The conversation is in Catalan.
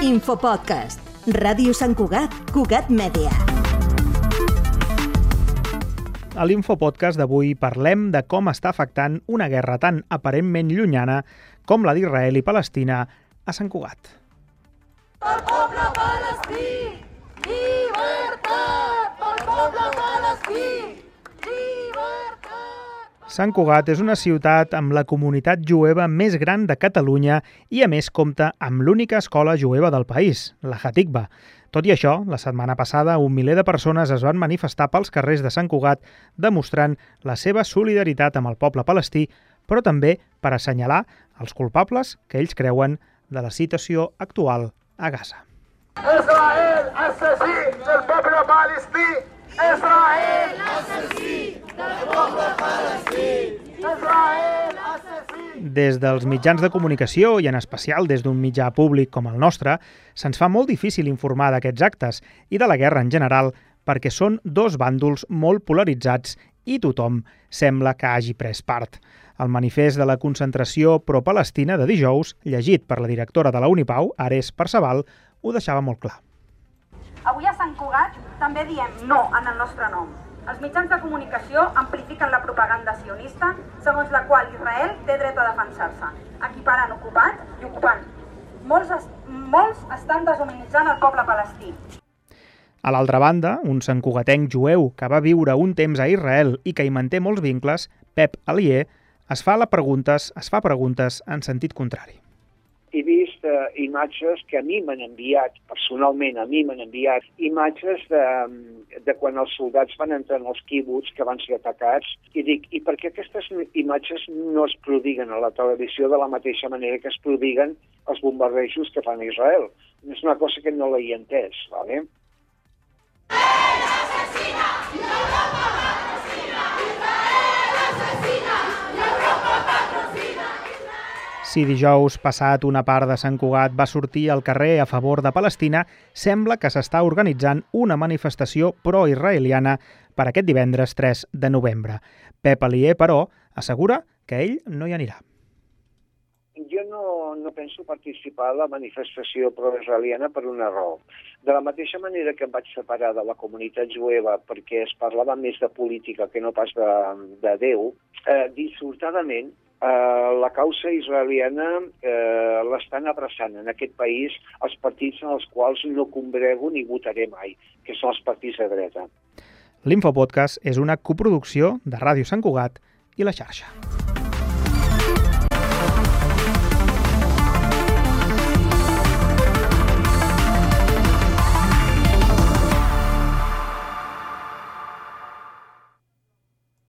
Infopodcast. Ràdio Sant Cugat, Cugat Mèdia. A l'Infopodcast d'avui parlem de com està afectant una guerra tan aparentment llunyana com la d'Israel i Palestina a Sant Cugat. Pel poble palestí, llibertat! Pel poble palestí, llibertat! Sant Cugat és una ciutat amb la comunitat jueva més gran de Catalunya i, a més, compta amb l'única escola jueva del país, la Hatikva. Tot i això, la setmana passada un miler de persones es van manifestar pels carrers de Sant Cugat demostrant la seva solidaritat amb el poble palestí, però també per assenyalar els culpables que ells creuen de la situació actual a Gaza. Israel, assassí del poble palestí! Israel, assassí del poble palestí! Israel, assassí! Des dels mitjans de comunicació, i en especial des d'un mitjà públic com el nostre, se'ns fa molt difícil informar d'aquests actes i de la guerra en general perquè són dos bàndols molt polaritzats i tothom sembla que hagi pres part. El manifest de la concentració pro-palestina de dijous, llegit per la directora de la Unipau, Ares Perceval, ho deixava molt clar. Avui a Sant Cugat també diem no en el nostre nom. Els mitjans de comunicació amplifiquen la propaganda sionista, segons la qual Israel té dret a defensar-se, equiparant ocupat i ocupant. Molts estan deshumanitzant el poble palestí. A l'altra banda, un santcugatenc jueu que va viure un temps a Israel i que hi manté molts vincles, Pep Alier, es fa preguntes en sentit contrari. He vist imatges que a mi m'han enviat, personalment a mi m'han enviat, imatges de quan els soldats van entrar en els quibuts que van ser atacats, i dic, i per què aquestes imatges no es prodiguen a la televisió de la mateixa manera que es prodiguen els bombardejos que fan a Israel? És una cosa que no l'he entès, ¿vale? Si dijous passat una part de Sant Cugat va sortir al carrer a favor de Palestina, sembla que s'està organitzant una manifestació pro-israeliana per aquest divendres 3 de novembre. Pep Alier, però, assegura que ell no hi anirà. Jo no penso participar a la manifestació pro-israeliana per una raó. De la mateixa manera que em vaig separar de la comunitat jueva perquè es parlava més de política que no pas de Déu, dissortadament la causa israeliana l'estan abraçant en aquest país els partits en els quals no congrego ni votaré mai, que són els partits de dreta. L'Infopodcast és una coproducció de Ràdio Sant Cugat i La Xarxa.